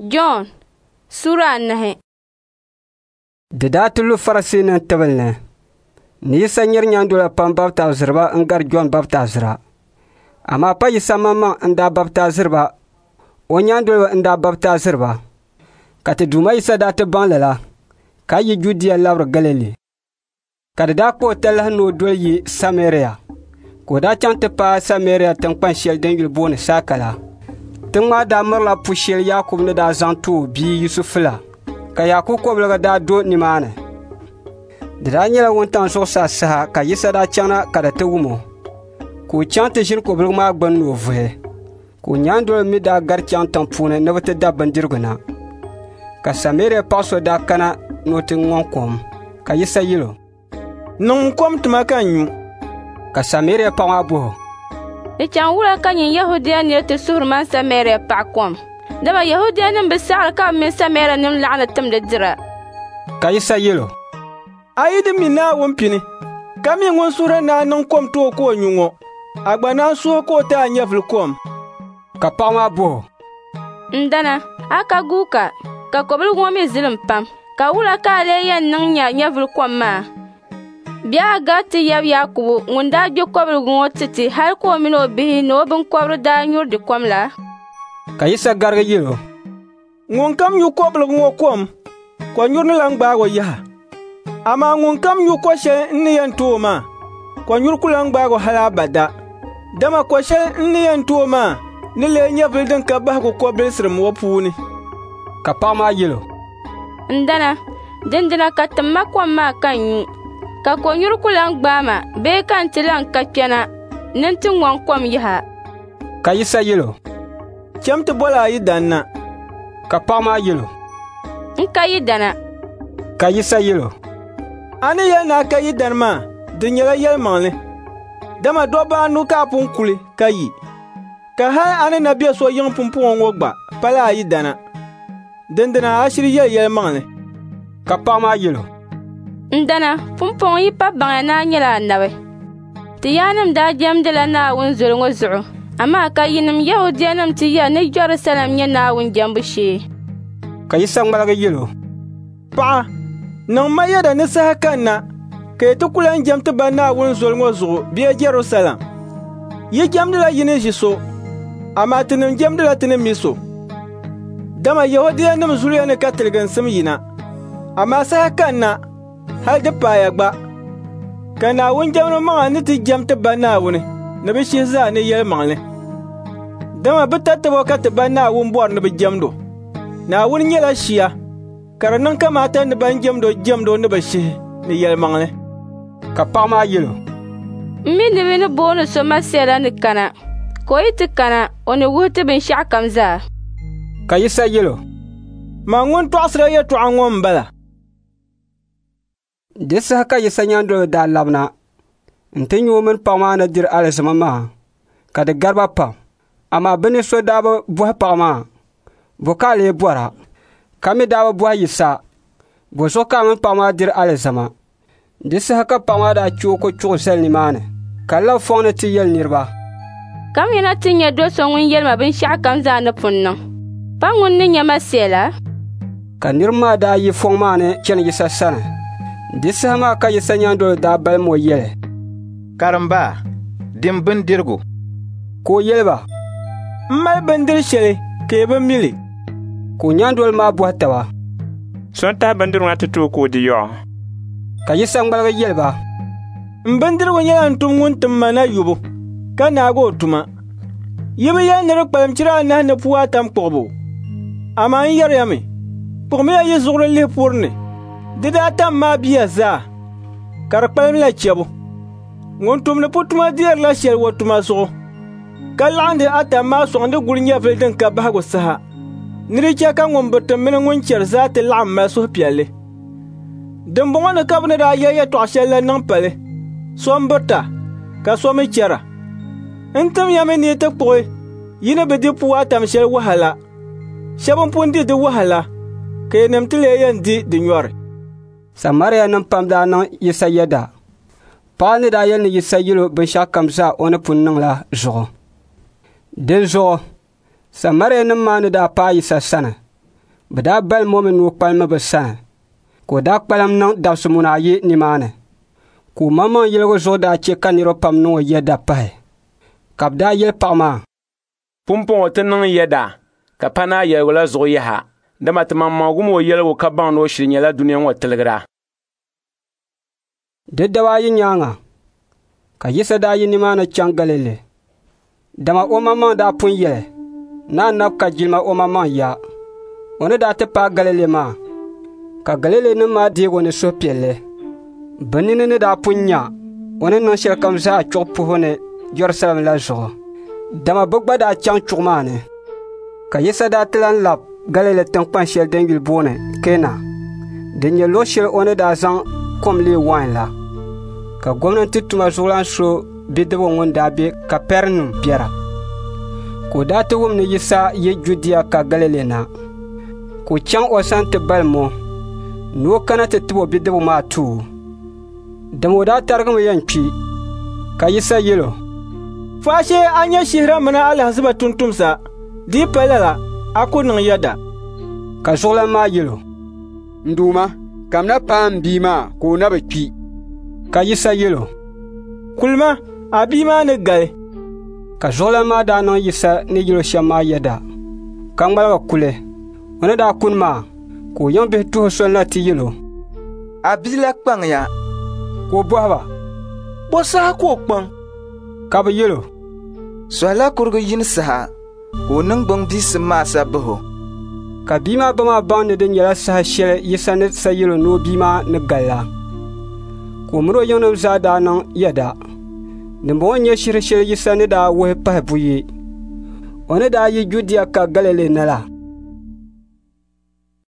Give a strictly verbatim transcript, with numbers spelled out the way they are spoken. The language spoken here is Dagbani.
Jɔn Sura anahi. Di daa ti lu Farisiinim tibili ni ni Yisa nyari nyaandola pam baptaiziriba n-gari Jɔn baptaizira. Amaa pa Yisa maŋmaŋ n-daa baptaiziriba, o nyaandoliba n-daa baptaiziriba. Ka ti Duuma Yisa daa ti baŋ lala, ka yi Judia labiri Galili. Ka di daa kpa o talahi ni o doli yi Samaria. Ka o daa chaŋ ti paai Samaria tiŋkpan shɛli din yuli booni Saika la. Tiŋ maa daa mirila pu shɛli Yaakubu ni daa zaŋ ti o bia Yusufu la, ka Yaakubu kɔbiliga daa do nimaani. Di daa nyɛla wuntaŋ zuɣusaa saha ka Yisa daa chaŋna ka di ti wum o, ka o chaŋ ti ʒini kɔbiliga maa gbuni ni o vuhi. Ka o nyaandoliba mi daa gari chaŋ tiŋ puuni ni bɛ ti da bindirigu na. Ka Samaria paɣ so daa kana ni o ti ŋɔŋ kom, ka Yisa yɛl o, "Niŋm kom ti ma ka n nyu." Ka Samaria paɣ maa bɔh o, "Di chaŋ wula ka nyin Yɛhudia nir ti suhiri man Samaria paɣa kom? Dama Yɛhudianim bi saɣiri ka bɛ mini Samarianim laɣindi timdi dira." Ka Yisa yɛl o, "A yi di mi Naawuni pini, ka mi ŋun suhiri ni a niŋ kom ti o ka o nyu ŋɔ, a gba naan suhi ka o ti a nyɛvili kom." Ka paɣ maa bɔh o, "N dana, a ka guuka, ka kɔbiliga ŋɔ mi zilim pam, ka wula ka a lee yɛn niŋ nya nyɛvili kom maa? Bee a gari ti yab Yaakubu ŋun daa gbi kɔbiliga ŋɔ ti ti hal ka o min o bihi ni o biŋkɔbiri daa nyuri di kom la?" Ka Yisa garigi yɛl o, "Ŋunkam nyu kɔbiliga ŋɔ kom, kɔnyuri ni lan gbaag o yaha. Amaa ŋunkam nyu ko shɛli n ni yɛn ti o maa, kɔnyuri ku lan gbaag o hal abada. Dama ko shɛli n ni yɛn ti o maa ni leei nyɛvili din ka bahigu kɔbilisirim o puuni." Ka paɣ maa yɛl o, "N dana, dindina ka tim ma kom maa ka n nyu, ka kɔnyuri ku lan gbaai ma bee ka n ti lan ka kpɛna ni n ti ŋɔŋ kom yaha." Ka Yisa yɛl o, "Cham ti boli a yidana na." Ka paɣ maa yɛl o, "N ka yidana." Ka Yisa yɛl o, "A ni yɛli ni a ka yidana maa, di nyɛla yɛlimaŋli. Dama dobba anu ka a pun kuli ka yi, ka hal a ni na be so yiŋ pumpɔŋɔ ŋɔ gba pala a yidana. Dindina a shiri yɛli yɛlimaŋli." Ka paɣ maa yɛl o, "N dana, pumpɔŋɔ yi pa baŋya ni a nyɛla anabi. Ti yaannim daa jɛmdila Naawuni zoli ŋɔ zuɣu, amaa ka yinim Yɛhudianim ti yɛli ni Jɛrusalɛm nyɛ Naawuni jɛmbu shee." Ka Yisa ŋmaligi yɛl o, "Paɣa, niŋ ma yɛda ni saha kanna ka yi ti ku lan jɛm ti Ba Naawuni zoli ŋɔ zuɣu bee Jɛrusalɛm. Yi jɛmdila yi ni ʒi so, amaa tinim jɛmdila ti ni mi so. Dama Yɛhudianim zuliya ni ka tiliginsim yina. Amaa saha kanna, hal di paaya gba, ka Naawuni jɛmdi maŋa ni ti jɛm ti Ba Naawuni ni bɛ shihi zaa ni yɛlimaŋli. Dama bɛ tatabo ka ti Ba Naawuni bɔri ni bɛ jɛmd o. Naawuni nyɛla shia, ka di niŋ kamaata ni ban jɛmd o jɛmd o ni bɛ shihi ni yɛlimaŋli." Ka paɣ maa yɛl o, "M mi ni bɛ ni booni so Masia la ni kana, ka o yi ti kana, o ni wuhi ti binshɛɣukam zaa." Ka Yisa yɛl o, "Man ŋun tɔɣisira yɛtɔɣa ŋɔ m-bala." Di saha ka Yisa nyaandoliba daa labina nti nya o mini paɣ maa ni diri alizama maa, ka di gari ba pam. Amaa bɛ ni so daa bi bɔhi paɣ maa, "Bɔ ka a lee bɔra?" Ka mi daa bi bɔhi Yisa, "Bɔzuɣu ka a mini paɣ maa diri alizama?" Di saha ka paɣ maa daa chɛ o kochuɣu zali nimaani, ka lab fɔŋ ni ti yɛli niriba, "Kamina ti nya do so ŋun yɛli ma binshɛɣukam zaa ni pun niŋ. Pa ŋun ni nyɛ Masia la?" Ka niriba maa daa yi fɔŋ maa ni chani Yisa sani. Di saha maa ka Yisa nyaandoliba daa balim o yɛli, "Karimba, dim bindirigu." Ka o yɛli ba, "M mali bindiri shɛli ka yi bi mi li." Ka o nyaandoliba maa bɔhi taba, "So n-tahi bindirigu na ti ti o ka o di yɔɔ?" Ka Yisa ŋmaligi yɛli ba, "M bindirigu nyɛla n tum ŋun tim ma na yubu, ka naagi o tuma. Yi bi yɛli ni di kpalim chira anahi ni puu atam kpuɣibu? Amaa n yɛri ya mi, kpuɣimiya yi zuɣuri lihi puri ni, di daatam maa biya zaa, ka di kpalimla chɛbu. Ŋun tumdi putuma deerila shɛli o tuma zuɣu, ka laɣindi atam maa sɔŋdi guli nyɛvili din ka bahigu saha, ni di chɛ ka ŋun biriti mini ŋun chɛri zaa ti laɣim mali suhupiɛlli. Dimbɔŋɔ ni ka bɛ ni daa yɛli yɛtɔɣ shɛli la niŋ pali, so m-birita, ka so mi chɛra. N tim ya mi ni yi ti kpuɣi yi ni bi di puu atam shɛli wahala. Shɛba m-pun di di wahala, ka yinim ti lee yɛn di di nyɔri." Samarianim pam daa niŋ Yisa yɛda, paɣa ni daa yɛli ni Yisa yɛl o binshɛɣukam zaa o ni pun niŋ la zuɣu. Dinzuɣu Samarianim maa ni daa paai Yisa sani, Bɛ daa balim o mi ni o kpalimi bɛ sani, ka o daa kpalim niŋ dabisi muna ayi nimaani. Ka o maŋmaŋ yɛligu zuɣu daa chɛ ka niriba pam niŋ o yɛda pahi. Ka bɛ daa yɛli paɣ maa, «Pumpɔŋɔ ti niŋ yɛda, ka pa ni a yɛligu la zuɣu yaha, dama ti maŋmaŋ wum o yɛligu ka baŋ ni o shiri nyɛla dunia ŋɔ tiligira.» Di daba ayi nyaaŋa ka Yisa daa yi nimaani chaŋ Galili, dama o maŋmaŋ daa pun yɛli ni anabi ka jilima o maŋmaŋ ya. O ni daa ti paai Galili maa, ka Galilinima maa deeg o ni suhupiɛlli. Bɛ nini ni daa pun nya o ni niŋ shɛlikam zaa chuɣu puhibu ni Jɛrusalɛm la zuɣu, dama bɛ gba daa chaŋ chuɣu maa ni. Ka Yisa daa ti lan lab Galili tiŋkpan shɛli din yuli booni Kana, din nyɛ luɣ shɛli o ni daa zaŋ kom leei wain la. Ka gomnanti tuma zuɣulan so bidibiga ŋun daa be Kapɛrinium biɛra. Ka o daa ti wum ni Yisa yi Judia ka Galili na, ka o chaŋ o sani ti balim o ni o kana ti tib o bidibiga maa ti o, dama o daa tarigimi yɛn kpi. Ka Yisa yɛl o, «Faashee a nya shihira mini alahiziba tumtumsa, di yi pa lala, a ku niŋ yɛda.» Ka zuɣulan maa yɛl o, «N Duuma, kamina paai m bia maa ka o na bi kpi.» Ka Yisa yɛl o, «Kulima, a bia maa ni gali.» Ka zuɣulan maa daa niŋ Yisa ni yɛl o shɛm maa yɛda, ka ŋmaligi kuli. O ni daa kuni maa, ka o yiŋbihi tuhi soli na ti yɛl o, «A bia la kpaŋya.» Ka o bɔhi ba, «Bɔ saha ka o kpaŋ?» Ka bɛ yɛl o, «Sɔhila kurigi yini saha ka o niŋgbuŋ biisim maa sa bahi o.» Ka bia maa ba maa baŋ ni di nyɛla saha shɛli Yisa ni sa yɛl o ni o bia maa ni gali la. Ka o min o yiŋnim zaa daa niŋ yɛda. Dimbɔŋɔ n-nyɛ shihir shɛli Yisa ni daa wuhi pahi buyi, o ni daa yi Judia ka Galili na la.